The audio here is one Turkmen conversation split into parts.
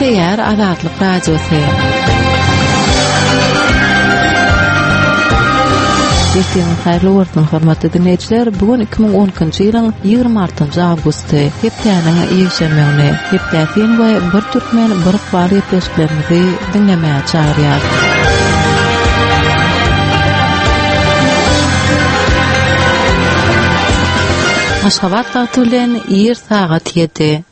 Gepleýär Azatlyk Radiosy. Ertiriňiz haýyrly bolsun, hormatly diňleýjiler! Bu gün 2012-nji ýylyň 26-njy awgusty, hepdäniň ýekşenbe güni. Hepdä syn we Bir türkmen, bir ykbal gepleşiklerimizi diňlemäge çagyrýar. Aşgabat wagty bilen ir sagat 7.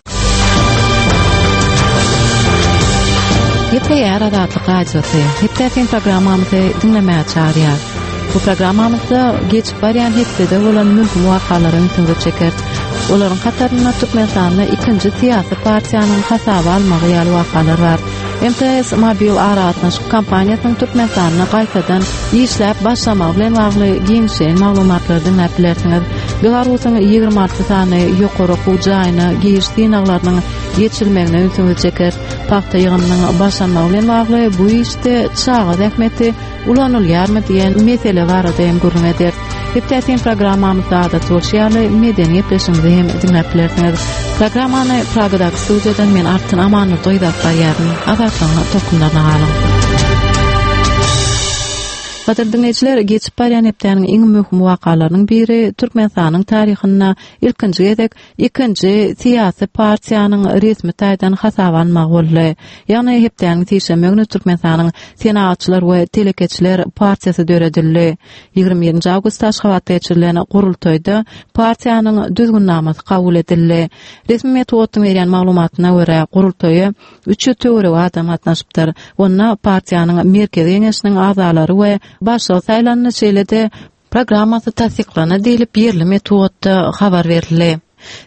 Gepleýär Azatlyk Radiosy. Hepdä sen programmamyzy diňlemäge çagyrýar. Bu programmamyzda geçip barýan hepdede bolan möhüm wakalara ünsüňizi çekeris. Olaryň hatarynda Türkmenistanda ikinji syýasy partiýanyň hasaba almagy ýaly wakalar bar. MTS mobil aragatnaşyk kompaniýasynyň Türkmenistanda gaýtadan işläp başlamagy bilen bagly giňişleýin maglumatlary diňläp bilersiňiz. Belarusyň 26 sany ýokary okuw jaýyna giriş synaglarynyň geçirilmegine ünsüňizi çekeris. Pagta ýygymynyň başlanmagy bilen bagly bu işde çaga zähmeti ulanylýarmy diýen mesele barada hem gürrüň ederis. Hepdäsin programmamyzda adaty bolşy ýaly medeni gepleşigimizi hem diňläp bilersiňiz. Programmany Pragadaky studiýadan men Altyn Amandurdy gyz alyp barýaryn. Azatlygyň tolkunlaryna galyň. Gadyrly diňleýjiler, geçip barýan hepdäniň iň möhüm wakalarynyň biri Türkmenistanyň taryhynda ilkinji gezek ikinji syýasy partiýanyň resmi taýdan hasaba alynmagy boldy. Ýagny hepdäniň sişenbe güni Türkmenistanyň Senagatçylar we telekeçiler partiýasy döredildi. 21-nji awgustda Aşgabatda geçirilen gurultaýda partiýanyň düzgünnamasy kabul edildi. Resmi metbugatyň berýän maglumatyna görä, gurultaýa 300 töweregi adam gatnaşypdyr. Onda partiýanyň Merkezi Geňeşiniň agzalary we başlygy saýlandy, şeýle-de Programmasy tassyklandy diýlip, ýerli metbugatda habar berildi.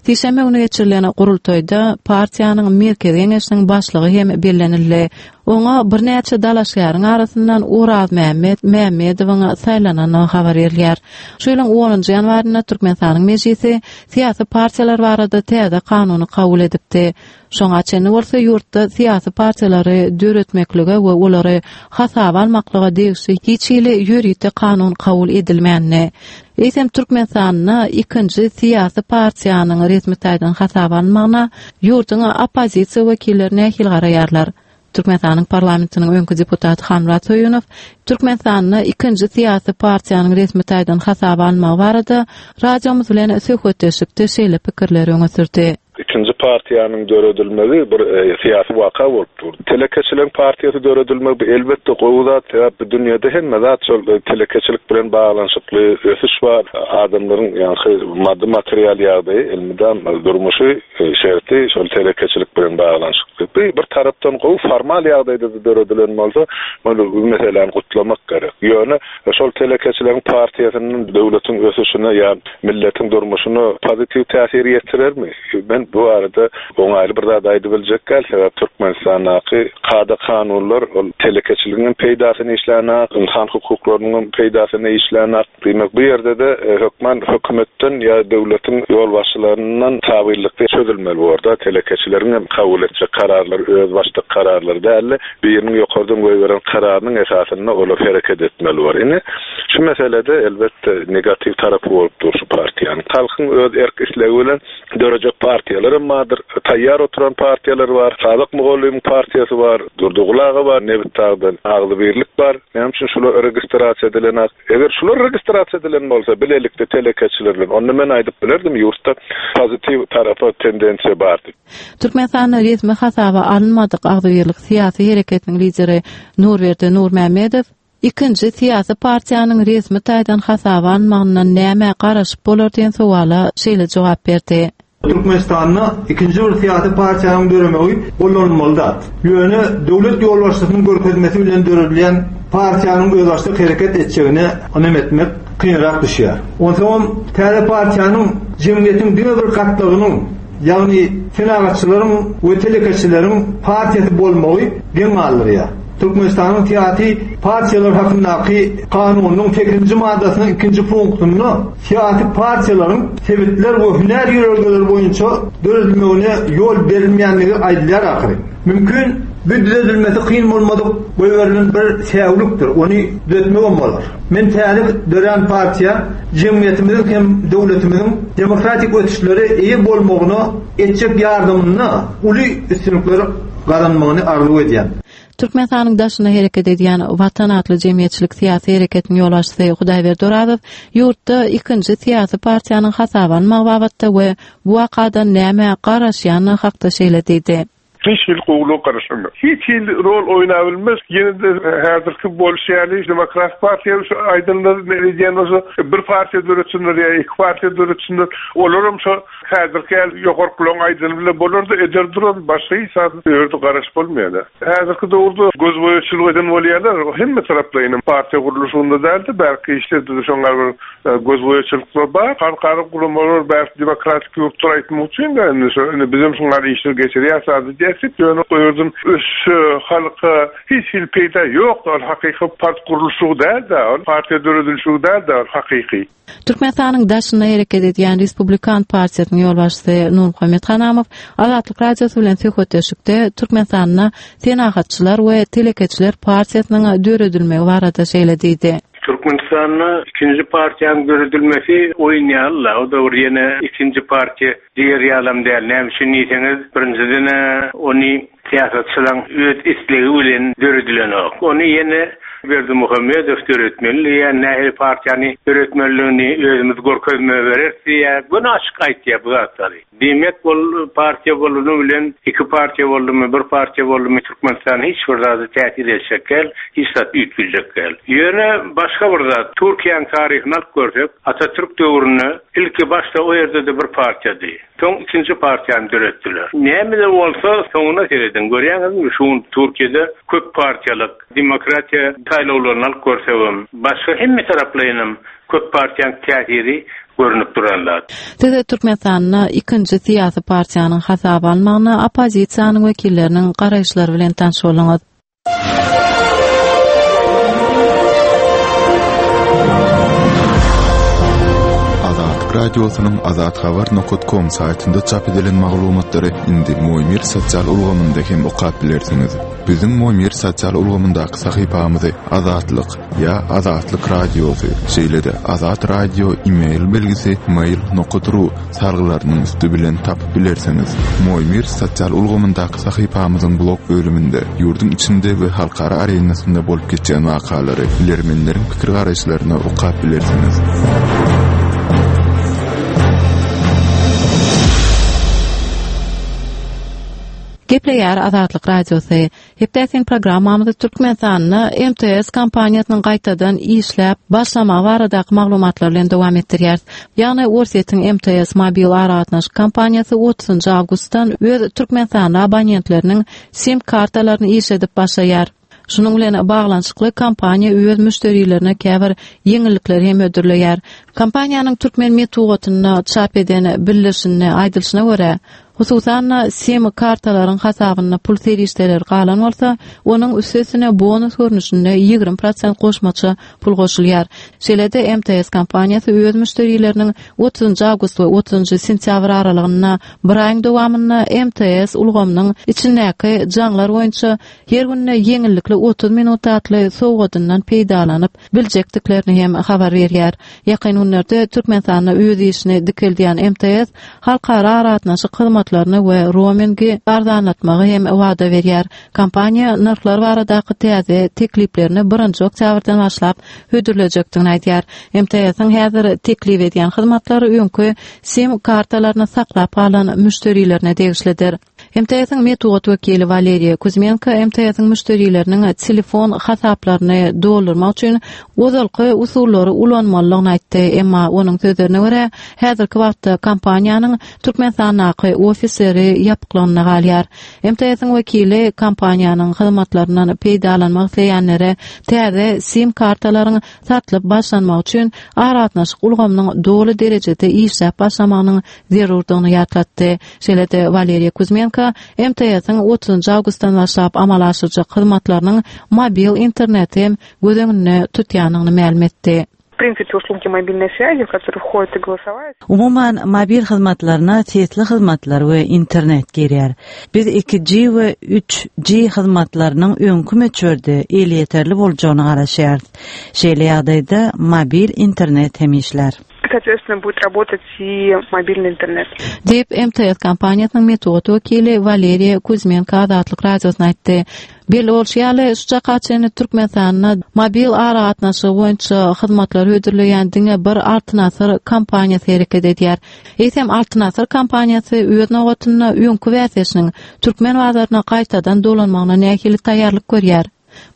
Sişenbe güni geçirilen gurultaýda partiýanyň Merkezi Geňeşiniň başlygy hem bellenildi. Oňa birnäçe dalaşgäriň arasyndan Orazmämmet Mämmedowyň saýlanandygy habar berilýär. Şu ýylyň onunjy ýanwarynda Türkmenistanyň Mejlisi syýasy partiýalar barada täze kanuny kabul edipdi. Şoňa çenli bolsa ýurtda syýasy partiýalary döretmeklige we olary hasaba almaklyga degişli hiç hili ýörite kanun kabul edilmändi. Eýsem Türkmenistanda ikinji syýasy partiýanyň resmi taýdan hasaba alynmagyna ýurduň oppozisiýa wekilleri nähili garaýarlar? Türkmenistanyň parlamentiniň öňki deputaty Hanmyrat Söýünow Türkmenistanda ikinji syýasy partiýanyň resmi taýdan hasaba alynmagy barada radiomyz bilen söhbetdeşlikde şeýle pikirleri öňe sürdi. Ikinji partiýanyň döredilmegi bir syýasy waka bolup dur. Telekeçileriň partiýasy döredilmegi bu elbetde gowy zat, sebäp bu dünýede hemme zat şol telekeçilik bilen baglanyşykly ösüş bar. Adamlaryň ýaňky maddy material ýagdaýy elmydam durmuşy şerti şol telekeçilik bilen baglanyşykly. Bu bir tarapdan gowy formal ýagdaýda-da döredilen bolsa, muny bu meseläni gutlamak gerek. Ýöne şol telekeçileriň partiýasynyň döwletiň ösüşine ýa milletiň durmuşyna pozitiw täsir ýetirermi? Men bu barada oňaýly bir zat aýdybiljek däl, sebäp Türkmenistandaky kada-kanunlar ol telekeçiligiň hem peýdasyna işlänok, ynsan hukuklarynyň hem peýdasyna işlänok. Diýmek, bu ýerde-de hökman hökümetden ýa döwletiň ýolbaşçylaryndan tabynlykda çözülmeli bor-da, telekeçileriň hem kabul etjek kararlary özbaşdak kararlar däl-de, biriniň ýokardan goýberen kararynyň esasynda olar hereket etmeli bor. Indi şu meselede elbetde negatiw tarapy bolup dur şu partiýanyň. Halkyň öz erk-islegi bilen dörejek partiýalar hem bardyr. Taýýar oturan partiýalar bar. Sadyk mugallymyň partiýasy bar. Durdyguly aga bar Nebitdagdan. Agzybirlik bar. Näme üçin şular registrasiýa edilenak? Eger şular registrasiýa edilen bolsa bilelikde telekeçiler bilen onda men aýdyp bilerdim ýurtda pozitiw tarapa tendensiýa bar diýip. Türkmenistanda resmi hasaba alynmadyk Agzybirlik syýasy hereketiniň lideri Nurberdi Nurmämmedow ikinji syýasy partiýanyň resmi taýdan hasaba alynmagyndan nämä garaşyp bolar diýen sowala şeýle jogap berdi. Türkmenistanda ikinji bir syýasy partiýanyň döremegi gollanylmaly zat. Ýöne döwlet ýolbaşçysynyň görkezmesi bilen döredilýän partiýanyň özbaşdak hereket etjegine ynam etmek kynrak düşýär. Onsoňam täze partiýanyň jemgyýetiň diňe bir gatlagynyň, ýagny senagatçylaryň we telekeçileriň partiýasy bolmagy geň galdyrýar. Türkmenistanyň syýasy partiýalar hakyndaky kanunynyň sekizinji maddasynyň ikinji punktynda syýasy partiýalaryň sebitler we hünär ýörelgeleri boýunça döredilmegine ýol berilmeýändigi aýdylýar ahyry. Mümkin, bu düzedilmesi kyn bolmadyk goýberilen bir säwlikdir, ony düzetmegem bolar. Men täze dörän partiýa jemgyýetimiziň hem döwletimiziň demokratik ösüşlere eýe bolmagyna etjek ýardamynda uly üstünlikler. gazanmagyny arzuw edýän. Türkmenistanyň daşynda hereket edýän Watan atly jemgyýetçilik-syýasy hereketiniň ýolbaşçysy Hudaýberdi Orazow ýurtda ikinji syýasy partiýanyň hasaba alynmagy babatda we bu wakadan nämä garaşýandygy hakda şeýle diýdi. Hiç hili gowulyga garaşamok. Hiç hili rol oýnabilmez. Ýene-de häzirki bolşy ýaly Demokratik partiýa şu aýdanlar edýän bolsa bir partiýa döretsinler ýa iki partiýa döretsinler. Olaram şo häzirki ýaly ýokarkylaryň aýdany bilen bolar-da eder durar. Başga hiç zat bu ýerde garaşyp bolmaýar. Häzirki döwürde gözboýaçylyk eden bolýarlar. Hemme taraplaýyn partiýa gurluşygynda däl-de bärki işlerde-de şoňa bir Gözboýaçylyklar bar. Halkara guramalar bäş demokratik ýurtlar aýtmak üçin-de indi şo indi bizem şuňa işler geçirýäs zady diýýäs ýöne o ýerden ösüşe, halka hiç hili peýda ýok. Ol hakyky part gurluşygy däl-de, ol partiýa döredilişigi däl-de ol hakyky. Türkmenistanyň daşynda hereket edýän Respublikan partiýasynyň ýolbaşçysy Nurmuhammet Hanamow Azatlyk Radiosy bilen söhbetdeşlikde Türkmenistanda Senagatçylar we telekeçiler partiýasynyň döredilmegi barada şeýle diýdi. Türkmenistanda ikinji partiýanyň döredilmesi oýun ýaly-la, o-da bir ýene ikinji partiýa diýer ýalam däl. Näme üçin diýseňiz, birinjiden-ä ony syýasatçylaň öz islegi bilen döredilenok. Ony ýene Berdimuhamedow döretmeli diýýär, nähili partiýany döretmelidigini özümiz görkezme bereris diýýär. Göni açyk aýtýar bu zatlary. Diýmek ol partiýa bolany bilen iki partiýa boldumy, bir partiýa boldumy Türkmenistan hiç bir zada täsir etjek däl, hiç zat üýtgejek däl. Ýöne başga bir zat, Türkiýäň taryhyny alyp görsek, Atatürk döwründe ilki başda o ýerde-de bir partiýady. Soň ikinji partiýany döretdiler. Näme-de bolsa soňuna serediň, görýäňizmi şu gün Türkiýede köp partiýalyk, demokratiýa saýlawlaryny alyp görsegem, başga hemme taraplaýynam Köp partiýaň täsiri görnüp duran zat. Siz Türkmenistanda ikinji syýasy partiýanyň hasaba alynmagyna oppozisiýanyň wekilleriniň garaýyşlary bilen tanyş bolduňyz. Azatlyk Radiosynyň azathabar nokat kom saýtynda çap edilen maglumatlary indi Moýmir sosial ulgamynda hem okap bilersiňiz. Biziň Moýmir sosial ulgamyndaky sahypamyzy Azatlyk ýa Azatlyk Radiosy, şeýle-de Azat Radio e-mail belgisi mail nokat ru salgylarynyň üsti bilen tapyp bilersiňiz. Moýmir sosial ulgamyndaky sahypamyzyň blog bölüminde ýurduň içinde we halkara arenasynda bolup geçýän wakalary, bilermenleriň pikir-garaýyşlaryny okap bilersiňiz. Gepleýär Azatlyk Radiosy. Hepdäsiň programmamyzy Türkmenistanda MTS kompaniýasynyň gaýtadan işläp başlamagy baradaky maglumatlar bilen dowam etdirýäris. Ýagny Orsýetiň MTS mobil aragatnaşyk kompaniýasy otuzynjy awgustdan öz türkmenistanly abonentleriniň sim kartalaryny işledip başlaýar. Şunuň bilen baglanyşykly kompaniýa öz müşderilerine käbir ýeňillikleri hem hödürleýär. Kompaniýanyň türkmen metbugatynda çap eden bildirişinde aýdylyşyna görä, Hususan-da, sim kartalaryň hasabynda pul serişdeleri galan bolsa, onuň üstesine bonus görnüşinde 20 prosent goşmaça pul goşulýar. Şeýle-de, MTS kompaniýasy öz müşderileriniň otuzynjy awgust we otuzynjy sentýabr aralygynda bir aýyň dowamynda MTS ulgamynyň içindäki jaňlar boýunça her günde ýeňillikli 30 minut atly sowgadyndan peýdalanyp biljekdiklerini hem habar berýär. Ýakyn günlerde Türkmenistanda öz işini dikeldýän MTS halkara aragatnaşyk hyzmatlaryny we romingi arzanlatmagy hem wada berýär. Kompaniýa nyrhlar baradaky täze tekliplerini birinji oktýabrdan başlap hödürlejekdigini aýdýar. MTS-iň häzir teklip edýän hyzmatlary öňki sim kartalaryny saklap galan müşderilerine degişlidir. MTS-iň metbugat wekili Waleriýa Kuzmenko MTS-iň müşderileriniň telefon hasaplaryny doldurmak üçin ozalky usullary ulanmalydygyny aýtdy. Emma onuň sözlerine görä, häzirki wagtda kompaniýanyň Türkmenistandaky ofisleri ýapyklygynda galýar. MTS-iň wekili kompaniýanyň hyzmatlaryndan peýdalanmak isleýänlere täze sim kartalaryň satlyp başlanmagy üçin aragatnaşyk ulgamynyň doly derejede işläp başlamagynyň zerurdygyny ýatlatdy. Şeýle-de Waleriýa Kuzmenko MTS-iň otuzynjy awgustdan başlap amala aşyrjak hyzmatlarynyň mobil interneti hem göz öňünde tutýandygyny mälim etdi. Принципе услуги мобильной связи, в которые входит и голосовая. Umuman, mobil hyzmatlaryna sesli hyzmatlar we internet girýär. Biz 2G we 3G hyzmatlarynyň öňki möçberde elýeterli boljagyna garaşýarys. Şeýle ýagdaýda mobil internet hem işlär. Соответственно, будет работать и мобильный интернет. Diýip, MTS kompaniýasynyň metbugat wekili Waleriýa Kuzmenko Azatlyk Radiosyna aýtdy. Belli bolşy ýaly, şu çaka çenli Türkmenistanda mobil aragatnaşygy boýunça hyzmatlary hödürleýän diňe bir Altyn Asyr kompaniýasy hereket edýär. Eýsem, Altyn Asyr kompaniýasy öz nobatynda öňki bäsdeşiniň türkmen bazaryna gaýtadan dolanmagyna nähili taýýarlyk görýär?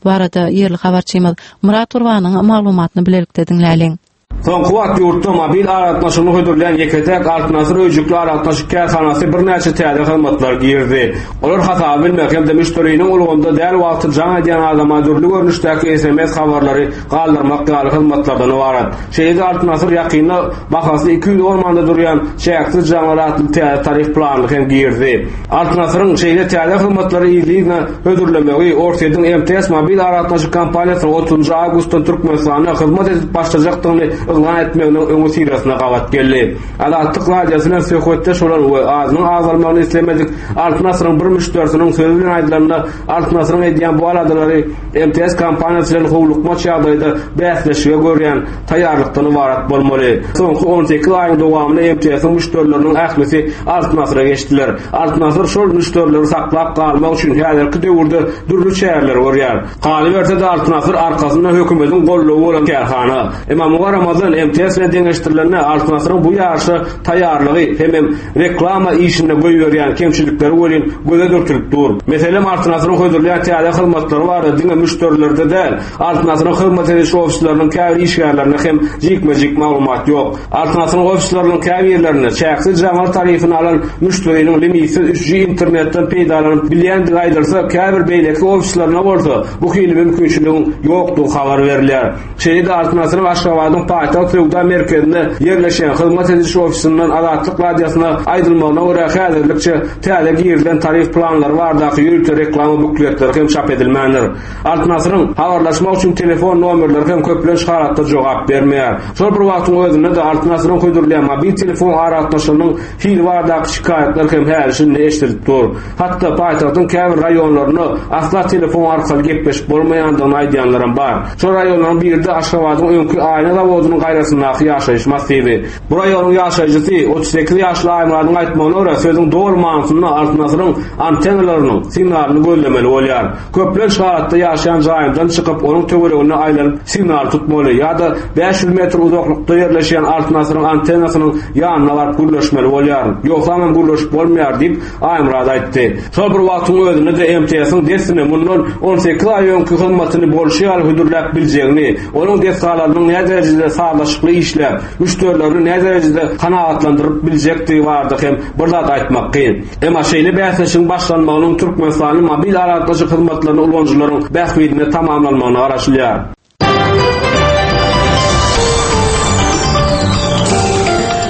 Bu barada ýerli habarçymyz Myrat Gurbanyň maglumatyny bilelikde diňläliň. Soňky wagt ýurtda mobil aragatnaşygyny hödürleýän ýeke-täk Altyn Asyr öýjükli aragatnaşyk kärhanasy birnäçe täze hyzmatlary girizdi. Olar hasaby bilmek hem-de müşderiniň ulgamda däl wagty jaň edýän adama dürli görnüşdäki sms habarlary galdyrmak ýaly hyzmatlardan ybarat. Şeýle-de Altyn Asyr ýakynda bahasy 210 manada durýan çäksiz jaňlar atly täze tarif planyny hem girizdi. Altyn Asyryň şeýle täze hyzmatlary yzly-yzyna hödürlemegi Orsýetiň MTS mobil aragatnaşyk kompaniýasynyň otuzynjy awgustdan Türkmenistanda hyzmat edip başlajakdygyny yglan etmeginiň öňüsyrasyna gabat geldi. Azatlyk Radiosy bilen söhbetdeş bolan we adynyň agzalmagyny islemedik Altyn Asyryň bir müşderisiniň sözi bilen aýdylanda, Altyn Asyryň edýän bu aladalary MTS kompaniýasy bilen howlukmaç ýagdaýda bäsleşige görýän taýýarlykdan ybarat bolmaly. Soňky 18 aýyň dowamynda MTS-iň müşderileriniň ählisi Altyn Asyra geçdiler. Altyn Asyr şol müşderileri saklap galmak üçin häzirki döwürde dürli çäreleri görýär. Galyberse-de Altyn Asyr arkasynda hökümetiň goldawy bolan kärhana. Emma muňa garamazdan MTS bilen deňeşdirilende Altyn Asyryň bu ýaryşa taýýarlygy hemem reklama işinde goýberýän kemçilikleri welin göze dürtülip dur. Meselem Altyn Asyryň hödürleýän täze hyzmatlary barada diňe müşderilerde däl, Altyn Asyryň hyzmat ediş ofisleriniň käbir işgärlerinde hem jikme-jik maglumat ýok. Altyn Asyryň ofisleriniň käbirlerinde çäksiz jaňlar tarifini alan müşderiniň limitsiz 3G internetden peýdalanyp bilýändigi aýdylsa, käbir beýleki ofislerinde bolsa bu hili mümkinçiligiň ýokdugy habar berilýär. Şeýle-de Altyn Asyryň Aşgabadyň paýtagt söwda merkezinde ýerleşýän hyzmat ediş ofisinden Azatlyk Radiosyna aýdylmagyna görä, häzirlikçe täze girizilen tarif planlary baradaky ýörite reklama bukletleri hem çap edilmändir. Altyn Asyryň habarlaşmak üçin telefon nomerleri hem köplenç halatda jogap bermeýär. Şol bir wagtyň özünde-de Altyn Asyryň hödürleýän mobil telefon aragatnaşygynyň hili baradaky şikaýatlar hem häli-şindi eşidilip dur. Hatda paýtagtyň käbir raýonlarynda asla telefon arkaly gepleşip bolmaýandygyny aýdýanlaram bar. Şol raýonlaryň biri-de Aşgabadyň öňki aýna zawodynyň gaýrasyndaky ýaşaýyş massiwi. Bu raýonyň ýaşaýjysy, 38 ýaşly Aýmyradyň aýtmagyna görä, sözüň doly manysynda Altyn Asyryň antennalarynyň signalyny gözlemeli bolýar. Köplenç halatda ýaşaýan jaýymdan çykyp, onuň töwereginde aýlanyp signal tutmaly ýa-da 500 metr uzaklykda ýerleşýän Altyn Asyryň antennasynyň ýanyna baryp gürleşmeli bolýaryn. Ýogsamam gürleşip bolmaýar diýip, Aýmyrat aýtdy. Şol bir wagtyň özünde-de MTS-iň dessine mundan 18 aý öňki hyzmatyny bolşy ýaly hödürläp biljegini, onuň desgalarynyň näderejede sazlaşykly işläp, müşderilerini näderejede kanagatlandyryp biljekdigi barada hem bir zat aýtmak kyn. Emma şeýle bäsleşigiň başlanmagynyň türkmenistanly mobil aragatnaşyk hyzmatlaryny ulanyjylaryň bähbidine tamamlanmagyna garaşylýar.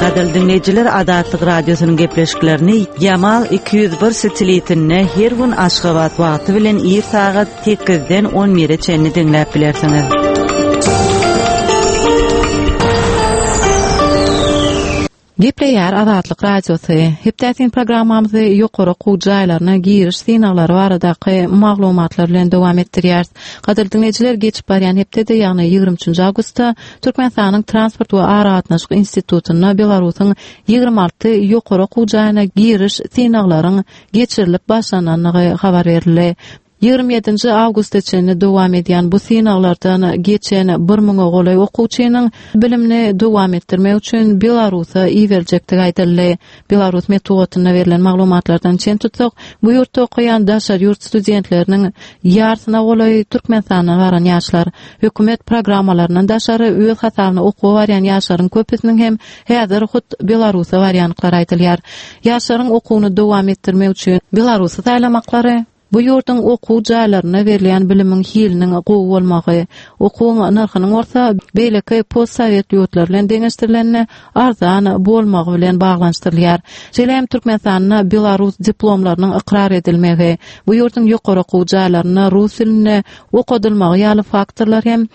Gadyrly diňleýjiler, Azatlyk Radiosynyň gepleşiklerini Ýamal 201 satelitinde her gün Aşgabat wagty bilen ir sagat 8-den 11-e çenli diňläp bilersiňiz. Gepleýär Azatlyk Radiosy. Hepdäsin programmamyzy ýokary okuw jaýlaryna giriş synaglary baradaky maglumatlar bilen dowam etdirýäris. Gadyrly diňleýjiler, geçip barýan hepdede, ýagny 23-nji awgustda Türkmenistanyň Transport we aragatnaşyk institutynda Belarusyň 26 ýokary okuw jaýyna giriş synaglaryň geçirilip başlanandygy habar berildi. 27-nji awgusta çenli dowam edýän bu synaglardan geçen bir müňe golaý okuwçynyň bilimini dowam etdirmek üçin Belarusa iberiljekdigi aýdyldy. Belarus metbugatynda berlen maglumatlardan çen tutsak, bu ýurtda okaýan daşary ýurt studentleriniň ýarsyna golaýy Türkmenistandan baran ýaşlar. Hökümet programmalaryndan daşary öz hasabyna okuwa barýan ýaşlaryň köpüsiniň hem häzir hut Belarusa barýandyklary aýdylýar. Ýaşlaryň okuwyny dowam etdirmek üçin Belarusy saýlamaklary, Bu ýurduň okuw jaýlarynda berilýän bilimiň hiliniň gowy bolmagy, okuwyň nyrhynyň bolsa beýleki postsowet ýurtlary bilen deňeşdirilende arzan bolmagy bilen baglanyşdyrylýar. Şeýle hem Türkmenistanda belarus diplomlarynyň ykrar edilmegi, bu ýurduň ýokary okuw jaýlarynda rus dilinde okadylmagy ýaly faktorlar hem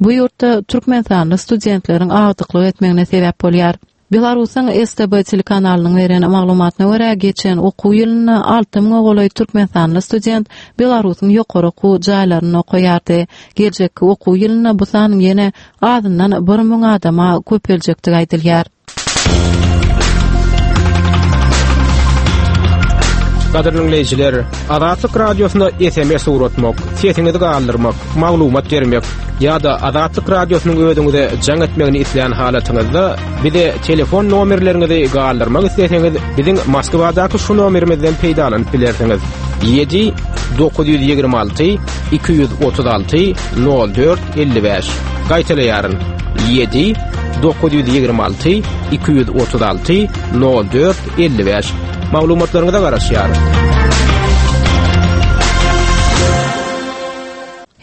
bu ýurtda türkmenistanly studentleriň agdyklyk etmegine sebäp bolýar. Belarusyň STB telekanalynyň beren maglumatyna görä, geçen okuw ýylynda alty müňe golaý türkmenistanly student Belarusyň ýokary okuw jaýlarynda okaýardy. Geljekki okuw ýylynda bu sanyň ýene azyndan 1000 adama köpeljekdigi aýdylýar. Gadyrly diňleýjiler, Azatlyk Radiosyna SMS ugratmak, sesiňizi galdyrmak, maglumat bermek ýa-da Azatlyk Radiosynyň özüňize jaň etmegini islän halatyňyzda bize telefon nomerleriňizi galdyrmak isleseňiz, biziň Moskwadaky şu nomerimizden peýdalanyp bilersiňiz. 7 926 236 04 55. Gaýtalaýaryn. 7 926 236 04 55. Maglumatlaryňyza garaşýarys.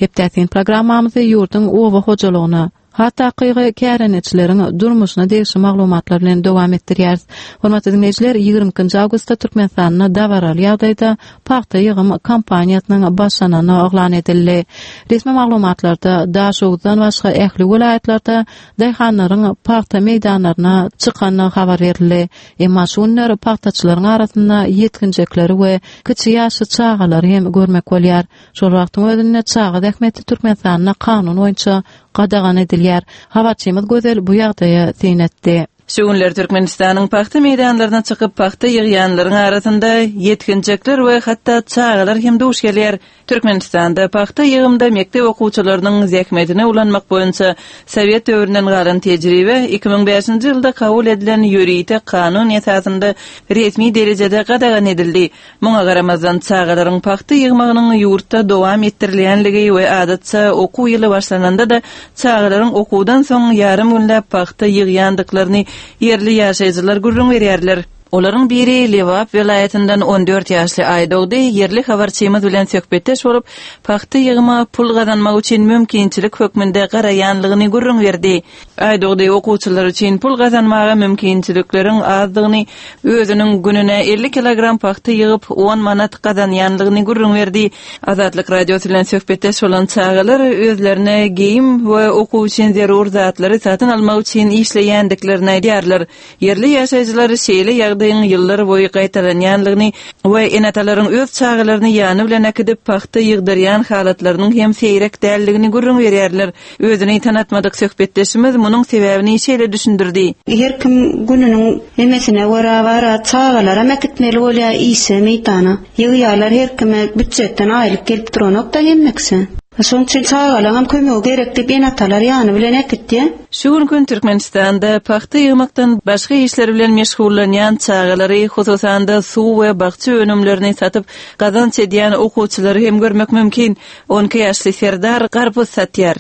Hepdäsin programmamyzy ýurduň oba hojalygyna, has takygy kärendeçileriň durmuşyna degişli maglumatlar bilen dowam etdirýäris. Hormatly diňleýjiler, 22-nji awgustda Türkmenistanda dabaraly ýagdaýda pagta ýygym kampaniýasynyň başlanany yglan edildi. Resmi maglumatlarda Daşoguzdan başga ähli welaýatlarda daýhanlaryň pagta meýdanlaryna çykandygy habar berildi. Emma şu günler pagtaçylaryň arasynda ýetginjekleri we kiçi ýaşly çagalary hem görmek bolýar. Şol wagtyň özünde çaga zähmeti Türkmenistanda kanun boýunça gadagan edilýär. Habarçymyz Gözel bu ýagdaýa syn etdi. Şu günler Türkmenistanyň pagta meýdanlaryna çykyp pagta ýygýanlaryň arasynda ýetginjekler we hatda çagalar hem duş gelýär. Türkmenistanda pagta ýygymda mekdep okuwçylarynyň zähmetini ulanmak boýunça sowet döwründen galan tejribe 2005-nji ýylda kabul edilen ýörite kanun esasynda resmi derejede gadagan edildi. Muňa garamazdan, çagalaryň pagta ýygmagynyň ýurtda dowam etdirilýänligi we adatça okuw ýyly başlananda-da çagalaryň okuwdan soň ýarym günläp pagta ýygýandyklaryny ýerli ýaşaýjylar gürrüň berýärler. Olaryň biri Lebap welaýatyndan 14 ýaşly Aýdogdy ýerli habarçymyz bilen söhbetdeş bolup, pagta ýygyma pul gazanmak üçin mümkinçilik hökmünde garaýanlygyny gürrüň berdi. Aýdogdy okuwçylar üçin pul gazanmaga mümkinçilikleriň azdygyny, özüniň gününe 50 kilogram pagta ýygyp, on manat gazanýanlygyny gürrüň berdi. Azatlyk Radiosy bilen söhbetdeş bolan çagalar özlerine geýim we okuw üçin zerur zatlary satyn almak üçin işleýändiklerini aýdýarlar. Ýerli ýaşaýjylar şeýle ýagdaýyň ýyllar boýy gaýtalanýanlygyny we ene-atalaryň öz çagalaryny ýany bilen äkidip pagta ýygdyrýan halatlarynyň hem seýrek däldigini gürrüň berýärler. Özüni tanatmadyk söhbetdeşimiz munuň sebäbini şeýle düşündirdi. Her kim gününiň nemesine görä bar-a, çagalaram äkitmeli bolýar işe, meýdana. Ýygýarlar her kime býujetden aýlyk gelip duranok-da hemme kişä. Şonuň üçin çagalaňam kömegi gerek diýip ene-atalar ýany bilen äkitýär. Şu günki gün Türkmenistanda pagta ýygmakdan başga işler bilen meşgullanýan çagalary, hususan-da suw we bakja önümlerini satyp gazanç edýän okuwçylary hem görmek mümkin. On iki ýaşly Serdar garpyz satýar.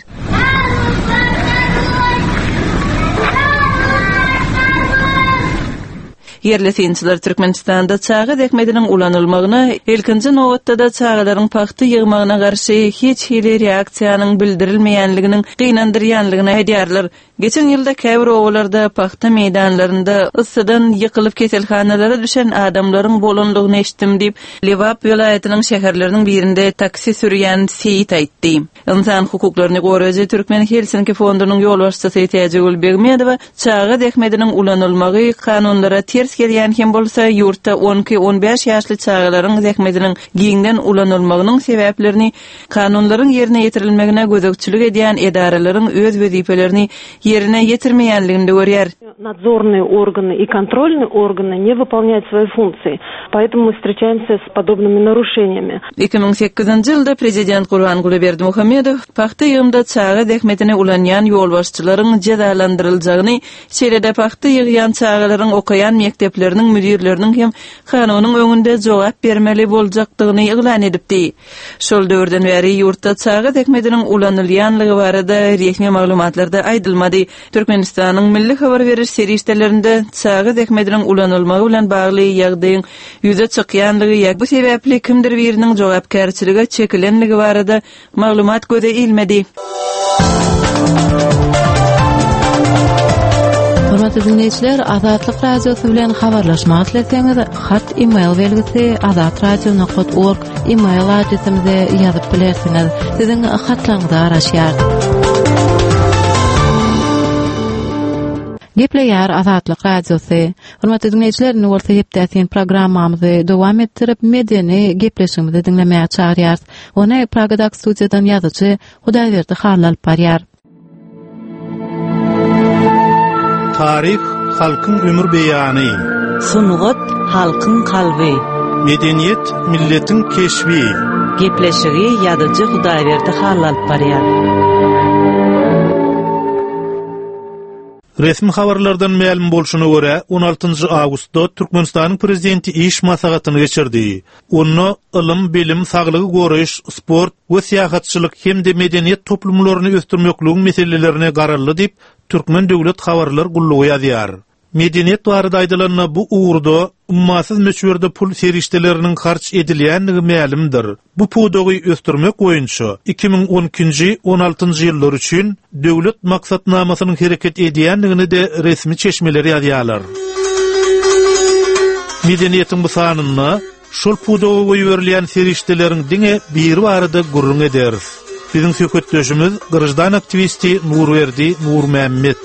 Ýerli synçylar Türkmenistanda çaga zähmetiniň ulanylmagyna, ilkinji nobatda-da çagalaryň pagta ýygmagyna garşy hiç hili reaksiýanyň bildirilmeýänliginiň gynandyrýanlygyny aýdýarlar. Geçen ýylda käbir obalarda pagta meýdanlarynda yssydan ýykylyp keselhanalara düşen adamlaryň bolandygyny eşitdim diýip, Lebap welaýatynyň şäherleriniň birinde taksi sürýän Seýit aýtdy. Ynsan hukuklaryny goraýjy Türkmen Helsinki fondunyň ýolbaşçysy Täjigül Begmedowa çaga zähmetiniň ulanylmagy kanunlara ters gelýän hem bolsa, ýurtda on iki-on bäş ýaşly çagalaryň zähmetiniň giňden ulanylmagynyň sebäplerini Kanunlaryň ýerine ýetirilmegine gözegçilik edýän edaralaryň öz wezipelerini ýerine ýetirmeýänliginde görýär. Nadzorные органы и kontrolные органы не выполняют свои функции, поэтому мы встречаемся с подобными нарушениями. 2008-nji ýylda prezident Gurbanguly Berdimuhamedow pagta ýygymda çaga zähmetini ulanýan ýolbaşçylaryň jezalandyryljagyny, şeýle-de pagta ýygýan çagalaryň okaýan mekdepleriniň müdirleriniň hem kanunyň öňünde jogap bermeli boljakdygyny yglan edipdi. Şol döwürden bäri ýurtda çaga zähmetiniň ulanylýanlygy barada resmi maglumatlarda aýdylmady. Türkmenistanyň milli habar beriş serişdelerinde çaga zähmetiniň ulanylmagy bilen bagly ýagdaýyň ýüze çykýanlygy ýa bu sebäpli kimdir biriniň jogapkärçilige çekilenligi barada Maglumat göze ilmedi. Hormatly diňleýjiler, Azatlyk Radiosy bilen habarlaşmak isleseňiz, hat e-mail belgisi azatradio.org e-mail adresimize ýazyp bilersiňiz. Siziň hatlaryňyza garaşýarys. Gepleýär Azatlyk Radiosy. Hormatly diňleýjiler, indi bolsa Hepdä syn programmamyzy dowam etdirip, medeni gepleşigimizi diňlemäge çagyrýarys. Ony Pragadaky studiýadan ýazyjy Hudaýberdi Hally alyp barýar. Taryh halkyň ömür beýany. Sungat halkyň kalby. Medeniýet milletiň keşbi. Gepleşigi ýazyjy Hudaýberdi Hally alyp barýar. Resmi habarlardan mälim bolşuna görä, on altynjy awgustda Türkmenistanyň Prezidenti iş maslahatyny geçirdi. Onda ylym, bilim, saglygy goraýyş, sport we syýahatçylyk hem-de medeniýet toplumlaryny ösdürmekligiň meselelerine garaldy diýip, Türkmen döwlet habarlar gullugy ýazýar. Medeniýet barada aýdylanda, bu ugurda ummasyz möçberde pul serişdeleriniň harç edilýändigi mälimdir. Bu pudagy ösdürmek boýunça 2012-nji, on altynjy ýyllar üçin döwlet maksatnamasynyň hereket edýändigini-de resmi çeşmeler ýazýarlar. Medeniýetiň bu sanynda şol pudaga goýberilýän serişdeleriň diňe biri barada gürrüň ederis. Biziň söhbetdeşimiz graždan aktiwisti Nurberdi Nurmämmet.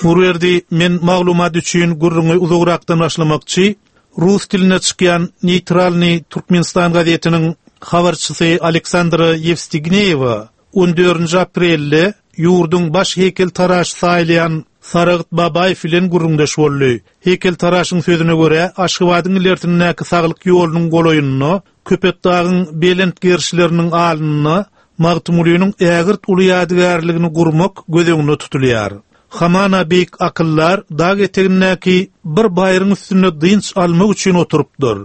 Nurberdi, men maglumat üçin gürrüňi uzagrakdan başlamakçy. Rus dilinde çykýan Neýtralnyý Türkmenistan gazetiniň habarçysy Aleksandra Ýewstigneýewa on dördünji aprelde ýurduň baş heýkeltaraşy saýylýan Saragt Babaýew bilen gürrüňdeş boldy. Heýkeltaraşyň sözüne görä, Aşgabadyň ilersindäki Saglyk ýolunyň golaýynda, Köpetdagyň belent gerişleriniň alnynda Magtymgulynyň ägirt uly ýadygärligini gurmak göz öňünde tutulýar. Hamana beýik akyldar dag etegindäki bir baýryň üstünde dynç almak üçin oturypdyr.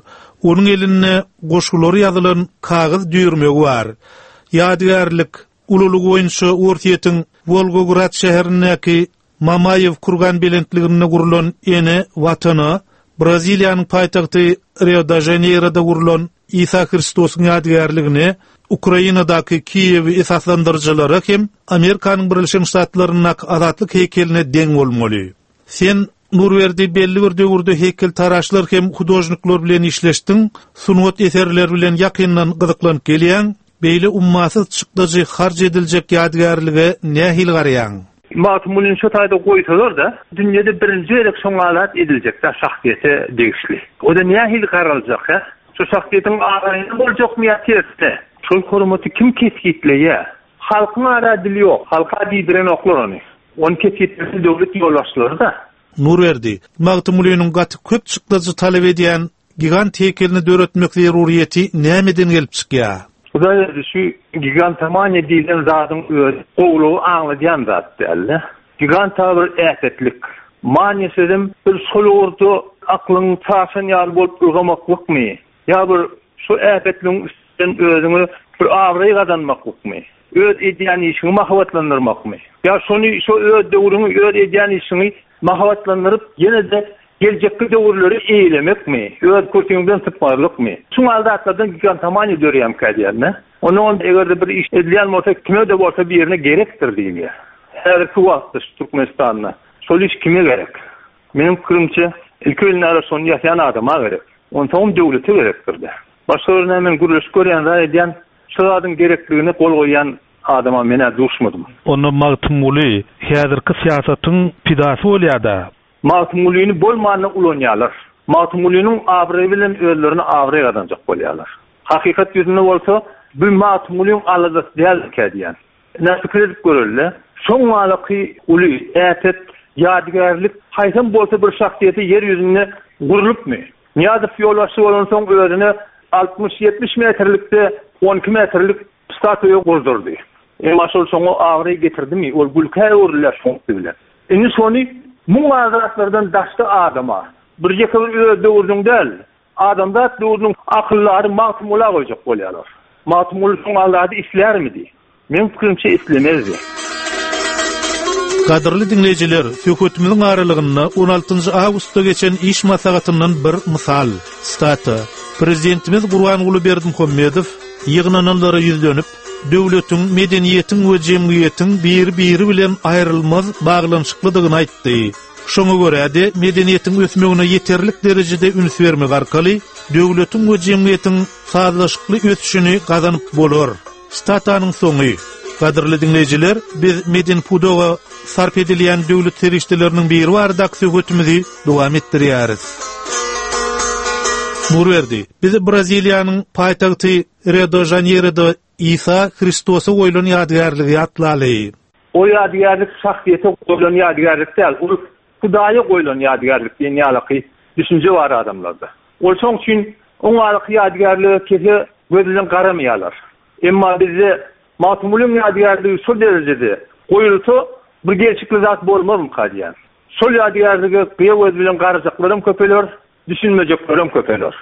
Onuň elinde goşgulary ýazylan kagyz düýrmegi bar. Ýadygärlik, ululygy boýunça Orsýetiň Wolgograd şäherindäki Mamaýew kurgan belentliginde gurlan Ene Watana, Braziliýanyň paýtagty Rio-de-Žaneýroda gurlan Isa Hristosyň ýadygärligine, Ukrainadaky Kiýewi esaslandyryjylara hem Amerikanyň Birleşen Ştatlaryndaky Azatlyk heýkeline deň bolmaly. Sen, Nurberdi, belli bir döwürde heýkeltaraşlar hem hudožnikler bilen işleşdiň, sungat eserleri bilen ýakyndan gyzyklanyp gelýäň, beýle ummasyz çykdajy harç ediljek ýadygärlige nähili garaýaň? Magtymgulyny şo taýda goýsalar-da, dünýede birinji gezek şoňa zat ediljek-dä şahsyýete degişli. O-da nähili garaljak, hä? Şo şahsyýetiň abraýyna boljakmy ýa tersine? Şol hormaty kim kesgitleýär? Halkyň ara dili ýok, halka diýdirenoklar ony. Ony kesgitlemeli döwlet ýolbaşçylary-da. Nurberdi, Magtymgulynyň gaty köp çykdajy talap edýän gigant heýkelini döretmek zeruryýeti nämeden gelip çykýar? Hudaýberdi, şu gigantomaniýa diýlen zadyň özi gowulygy aňladýan zat däl-de. Giganta bir äpetlik. Maniýa sözem bir şol ugurda aklyň çaşan ýaly bolup ylgamaklykmy? Ýa bir şu äpetligiň üstünden özüňe bir abraý gazanmaklykmy? Öz edýän işiňi mahabatlandyrmakmy? Ýa şony şo öz döwrüňi, öz edýän işiňi mahabatlandyryp, ýene-de geljekki döwürleri eýlemekmi? Öz kürsüňden sypmazlykmy? Şuň ýaly zatlardan gigantomaniýa döreýärmikä diýýän-de. Onnoňam eger-de bir iş edilýän bolsa, kime-de bolsa birine gerekdir diýilýär. Häzirki wagtda şu Türkmenistanda şol iş kime gerek? Meniň pikirimçe, ilki bilen ara şony ýasaýan adama gerek. Onsoňam döwlete gerekdir-de. Başga bir näme men gürleşip görýän zat edýän, şu zadyň gerekligine gol goýýan adama men-ä duşmadym. Onda Magtymguly häzirki syýasatyň pidasy bolýa-da. Magtymgulyny bolmanda ulanýarlar. Magtymgulynyň abraýy bilen özlerine abraý gazanjak bolýarlar. Hakykat ýüzünde bolsa, bu Magtymgulyň aladasy däldikä diýýän. Ine, pikir edip göreli-le. Şoň ýalyky uly, äpet ýadygärlik haýsam bolsa bir şahsyýete ýer ýüzünde gurlupmy? Nyýazow ýolbaşçy bolansoň özüne altmyş-ýetmiş metrlikde on iki metrlik statuýa gurdurdy. Emma şol şoňa abraý getirdimi? Ol gülkä öwrülýär şoň üsti bilen. Indi şony muň ýaly zatlardan daşda adama, bir ýeke bir öz döwrüniň däl, Adamzat döwrüniň akyldary Magtymgula goýjak bolýarlar. Magtymguly şoň ýaly zady islärmidi? Meň pikirimçe islemezdi. Gadyrly diňleýjiler, söhbetimiziň aralygynda on altynjy awgustda geçen iş maslahatyndan bir mysal, sitata, Prezidentimiz Gurbanguly Berdimuhamedow ýygnananlara ýüzlenip, döwletiň, medeniýetiň we jemgyýetiň biri-biri bilen aýrylmaz baglanyşyklydygyny aýtdy. Şoňa görä-de, medeniýetiň ösmegine ýeterlik derejede üns bermek arkaly döwletiň we jemgyýetiň sazlaşykly ösüşini gazanyp bolar. Statanyň soňy. Gadyrly diňleýjiler, biz medeni pudaga sarp edilýän döwlet serişdeleriniň biri baradaky söhbetimizi dowam etdirýäris. Nurberdi, biz Braziliýanyň paýtagty Rio-de-Žaneýroda Isa Hristosa goýlan ýadygärligi ýatlaly. O ýadygärlik şahsyýete goýlan ýadygärlik däl, ol Hudaýa goýlan ýadygärlik diýen ýalaky düşünje bar adamlarda. Ol şoň üçin oňalaky ýadygärlige kese göz bilen garamaýarlar. Emma bizde Magtymgulyň ýadygärligi şol derejede goýulsa bir gelşikli zat bolmazmyka diýýän. Şol ýadygärlige gyýa göz bilen garajaklaram köpeler, düşünmejeklerem köpeler.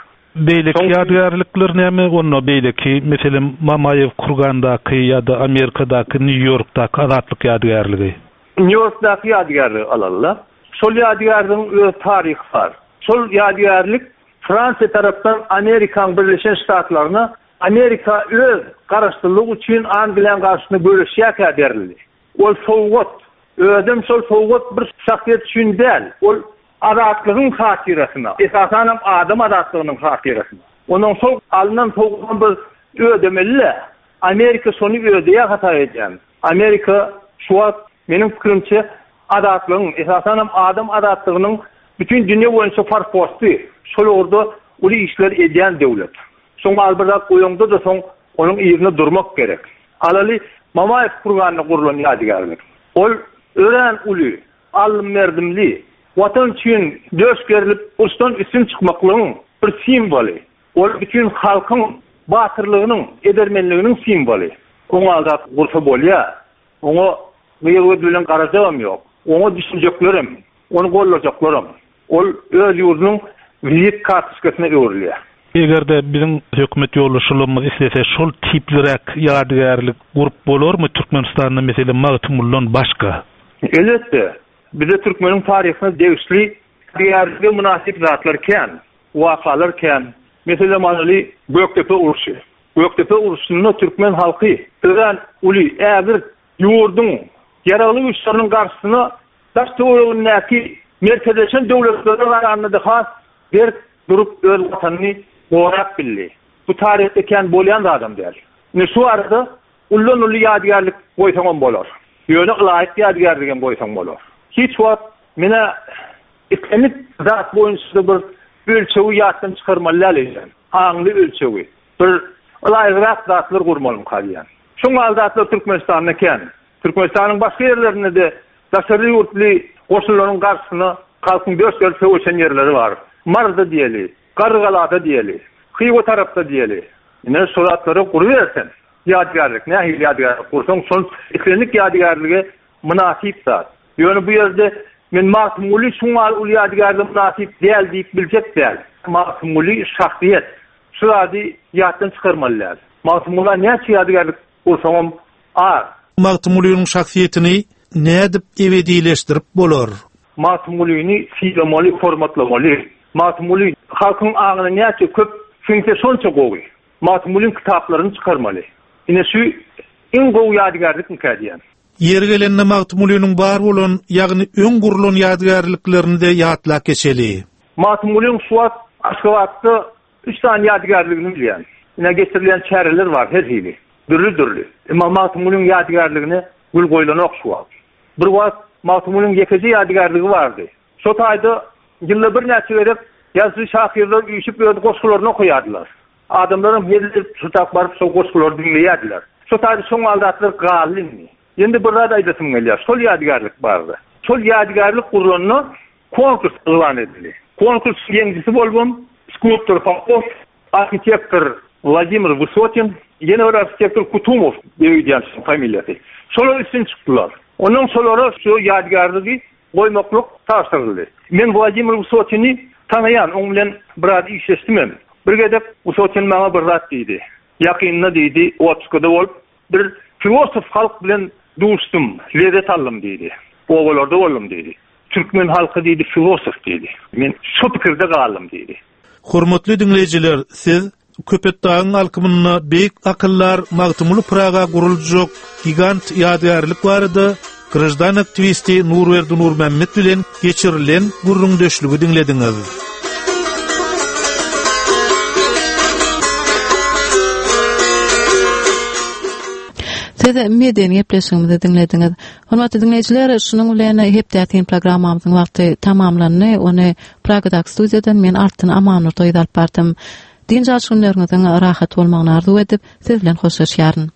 Beýleki ýadygärlikler näme onda beýleki, meselem Mamaýew Kurgandaky ýa-da Amerikadaky Nýu-Ýorkdaky Azatlyk ýadygärligi? Nýu-Ýorkdaky ýadygärligi alaly-la. Şol ýadygärligiň öz taryhy bar. Şol ýadygärlik Fransiýa tarapdan Amerikaň Birleşen Ştatlaryna Amerika öz garaşsyzlygy üçin Angliýaň garşysyna göreşýärkä berildi. Ol sowgat. Özem şol sowgat bir şahsyýet üçin däl. Ol azatlygyň hatyrasyna, esasanam adam azatlygynyň hatyrasyna. Onuň şol alnan sowgadyny biz ödemeli-dä. Amerika şony ödeýär hasap edýän. Amerika şu wagt meniň pikirimçe azatlygyň, esasanam adam azatlygynyň bütin dünýe boýunça forposty, şol ugurda uly işler edýän döwlet. Şoň al bir zat goýaňda-da soň onuň yzynda durmak gerek. Alaly Mamaýew kurganda gurlan ýadygärlik. Ol örän uly, aldym-berdimli, Watan üçin döş gerlip uruşdan üstün çykmaklygyň bir simwoly. Ol bütin halkyň batyrlygynyň, edermenliginiň simwoly. Oňa al zat gursa bolýar. Oňa gyýa göz bilen garajagam ýok. Oňa düşünjeklerem, ony goldajaklaram. Ol öz ýurdunyň wizit kartoçkasyna öwrülýär. Eger-de biziň hökümet ýolbaşçylygymyz islese şol tipliräk ýadygärlik gurup bolarmy Türkmenistanda meselem Magtymguludan başga? Elbetde, bize türkmeniň taryhyna degişli ýadygärlige mynasyp zatlar kän, wakalar kän. Meselem alaly Gökdepe urşy. Gökdepe urşunda türkmen halky örän uly, ägirt ýurduň ýaragly güýçleriniň garşysyna daş-töweregindäki merkezleşen döwletlere garanda-da has berk durup öz watanyny gorap bildi. Bu taryhda kän bolýan zadam däl. Indi şu barada uldan-uly ýadygärlik goýsaňam bolar. Ýöne ylaýyk ýadygärligem goýsaň bolar. Hiç wagt men-ä islendik zat boýunça-da bir ölçegi ýatdan çykarmaly däl eýsem. Aňly ölçegi. Bir ylaýygrak zatlar gurmalymyka diýýän. Şoň ýaly zatlar Türkmenistanda kän. Türkmenistanyň başga ýerlerinde-de daşary ýurtly goşunlaryň garşysyna halkyň döş gerip söweşen ýerleri bar. Maryda diýeli, Garrygalada diýeli, Hywa tarapda diýeli. Ine, şo zatlary guruberseň, ýadygärlik, nähili ýadygärlik gursaň, şol islendik ýadygärlige mynasyp zat. Ýöne bu ýerde men Magtymguly şuň ýaly uly ýadygärlige mynasyp däl diýip biljek däl. Magtymguly şahsyýet. Şu zady ýatdan çykarmaly däl. Magtymgula näçe ýadygärlik gursaňam az. Magtymgulynyň şahsyýetini nädip ebedileşdirip bolar? Magtymgulyny sylamaly, hormatlamaly. Magtymguly halkyň aňyna näçe köp siňse şonça gowy. Magtymgulyň kitaplaryny çykarmaly. Ine şu iň gowy ýadygärlikmikä diýýän. Ýeri gelende Magtymgulynyň bar bolan, ýagny öň gurlan ýadygärliklerini-de ýatlap geçeli. Magtymgulyň şu wagt Aşgabatda Üç sany ýadygärligini bilýän. Ine geçirilýän çäreler bar her hili. Dürli-dürli. Emma Magtymgulyň ýadygärligine gül goýlanok şu wagt. Bir wagt Magtymgulyň ýekeje ýadygärligi bardy. Şo taýda ýylda birnäçe gezek ýazyjy-şahyrlar üýşüp öz goşgularyny okaýardylar. Adamlaram hezil edip şo tak baryp şo goşgulary diňleýärdiler. Şo taýda şoň ýaly zatlar galdy indi. Indi bir zat aýdasym gelýär şol ýadygärlik barada. Şol ýadygärlik gurlanda Konkurs yglan edildi. Konkursyň ýeňijisi bolubam skulptor Popow, arhitektor Wladimir Wysotin, ýene bir arhitektor Kutumow diýip öýdýän şoň familiýasy. Şolar üstün çykdylar. Ondan şolara şu ýadygärligi goýmaklyk tabşyryldy. Men Wladimir Wysotini tanaýan, oň bilen biraz işleşdimem. Bir gezek Wysotin maňa bir zat diýdi. Ýakynda diýdi, otpuskada bolup, bir filosof halk bilen duşdum, lezzet aldym diýdi. Obalarda boldum diýdi. Türkmen halky diýdi filosof diýdi. Men şo pikirde galdym diýdi. Hormatly diňleýjiler, siz Köpetdagyň alkymynda beýik akyldar Magtymguly Pyraga guruljak gigant ýadygärlik barada graždan aktiwisti Nurberdi Nurmämmet bilen geçirilen gürrüňdeşligi diňlediňiz. Siz medeni gepleşigimizi diňlediňiz. Hormatly diňleýjiler, şunuň bilen hepdäsin programmamyzyň wagty tamamlandy. Ony Pragadaky studiýadan men Altyn Amanurdy gyzy alyp bardym. Dynç alyş günleriňiziň rahat bolmagyny arzuw edip, siz bilen hoşlaşýaryn.